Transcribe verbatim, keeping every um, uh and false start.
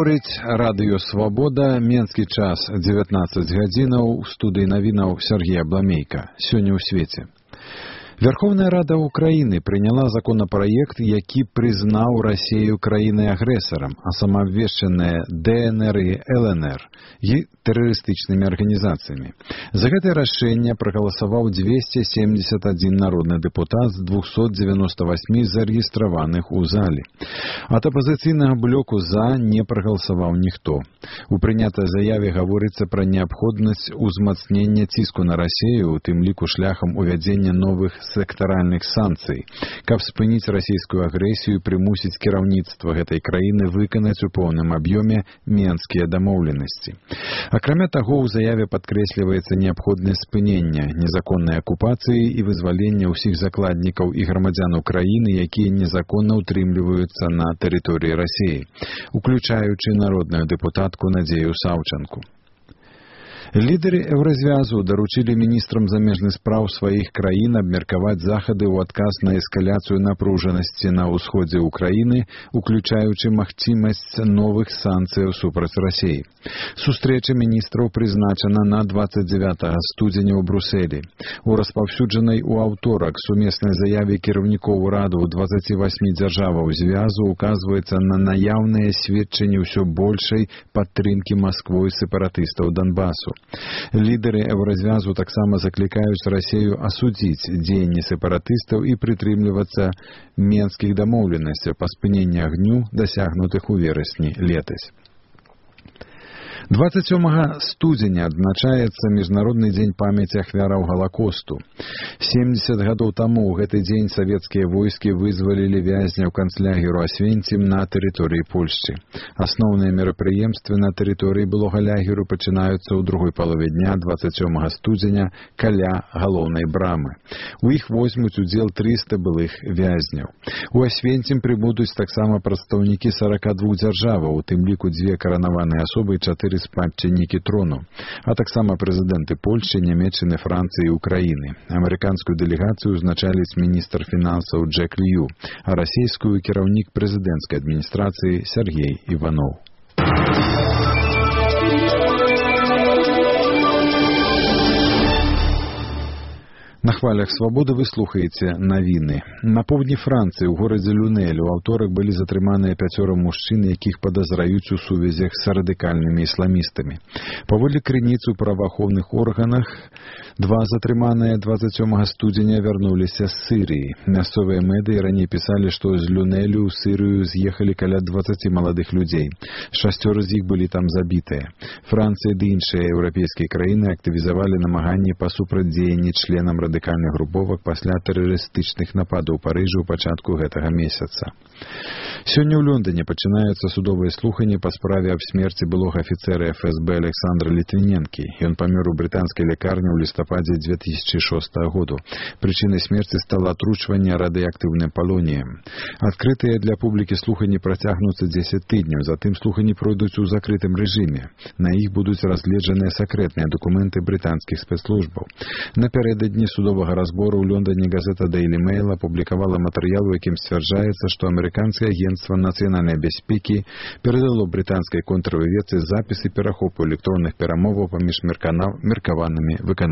Гаворыць радыё «Свабода», менскі час дзевятнаццаць гадзінаў, у студыі навінаў Сергей Абламейка. Сёння ў свеце. Верховная Рада Украины приняла законопроект, які признаў Россию краінай-агрэсарам, а самаабвешчаныя ДНР и ЛНР и тэрарыстычнымі арганізацыямі. За гэтае рашэнне прагаласаваў двести семьдесят один народны дэпутат з двухсот девяноста восьми зарэгістраваных у зале. Ад апазіцыйнага блоку «за» не прагаласаваў ніхто. У прынятай заяве гаворыцца пра неабходнасць узмацнення ціску на Россию, у тым ліку шляхам увядзення новых сектаральных санкцый, каб спыніць расійскую агрэсію і прымусіць кіраўніцтва гэтай краіны выканаць у поўным аб'ёме менскія дамоўленасці. Акрамя таго, у заяве падкрэсліваецца неабходнасць спынення незаконнай акупацыі і вызвалення ўсіх закладнікаў і грамадзян Украіны, якія незаконна ўтрымліваюцца на тэрыторыі Расіі, уключаючы народную дэпутатку Надзею Саўчанку. Лідары Еўразвязу даручылі міністрам замежных спраў сваіх краін абмеркаваць захады ў адказ на эскаляцыю напружанасці на ўсходзе Украіны, уключаючы магчымасць новых санкцыяў супраць Расіі. Сустрэча міністраў прызначана на двадцать девятого студзеня ў Брусэлі. У распаўсюджанай у аўторак сумеснай заяве кіраўнікоў ураду двадцати восьми дзяржаваў звязу указваецца на наяўныя сведчанні ўсё большай падтрымкі Масквой сепаратыстаў Донбасу. Лідары Еўразвязу таксама заклікаюць Расію асудзіць дзеянні сепаратыстаў і прытрымлівацца менскіх дамоўленасцяў па спыненні агню, дасягнутых у верасні летась. двадцать сёмага студзеня адзначаецца Міжнародны дзень памяці ахвяраў Галакосту. семьдесят гадоў таму ў гэты дзень савецкія войскі вызвалілі вязняў канцлагеру Асвенцім на тэрыторыі Польшчы. Асноўныя мерапрыемствы на тэрыторыі былога лагеру пачынаюцца ў другой палове дня двадцать сёмага студзеня каля галоўнай брамы. У іх возьмуць удзел триста былых вязняў. У Асвенцім прыбудуць таксама прадстаўнікі сорока двух дзяржаваў, у тым ліку дзве каранаваныя асобы і чатыры спадчыннікі трону, а таксама прэзідэнты Польшчы, Нямецчыны, Францыі і Украіны. Амерыканскую дэлегацыю узначаліць міністр фінансаў Джек Лью, а расійскую кіраўнік прэзідэнцкай адміністрацыі Сергей Иванов. На хвалях «Свабоды» вы слухаеце навіны. На поўдні Францыі, у горадзе Люнель, у аўторак былі затрыманыя пяцёра мужчын, якіх падазраюць у сувязях з радыкальнымі ісламістамі. Паводле крыніц у праваахоўных органах, два затрыманыя двадцать сёмага студзеня вярнуліся з Сырыі. Мясцовыя медыі раней пісалі, што з Люнелю ў Сырыю з'ехалі каля двадцати маладых людзей. Шасцёра з іх былі там забітыя. Францыя ды іншыя еўрапейскія краіны актывізавалі намаганні па супрацьдзеянні членам радыкальных груповак пасля тэрарыстычных нападаў у Парыжы ў пачатку гэтага месяца. Сёння ў Лондоне пачынаюцца судовыя слуханні па справе аб смерці былога афіцэра эф эс бэ Александра Літвіненкі. Ён памёр у брытанскай лякарні ў лістападзе две тысячи шостага году. Прычынай смерці стала атручванне радыеактыўным палоніем. Адкрытыя для публікі слуханні працягнуцца дзесяць тыдняў, затым слуханні пройдуць у закрытым рэжыме. На іх будуць разгледжаныя сакрэтныя дакументы брытанскіх спецслужбаў. Напярэдадні судовага разбору ў Лондоне газета Daily Mail апублікавала матэрыял, у якім сцвярджаецца, што амерыканскае агенцтва нацыянальнай бяспекі перадало брытанскай контрразведцы запісы перахопу электронных перамоваў паміж меркаванымі выканаўцамі.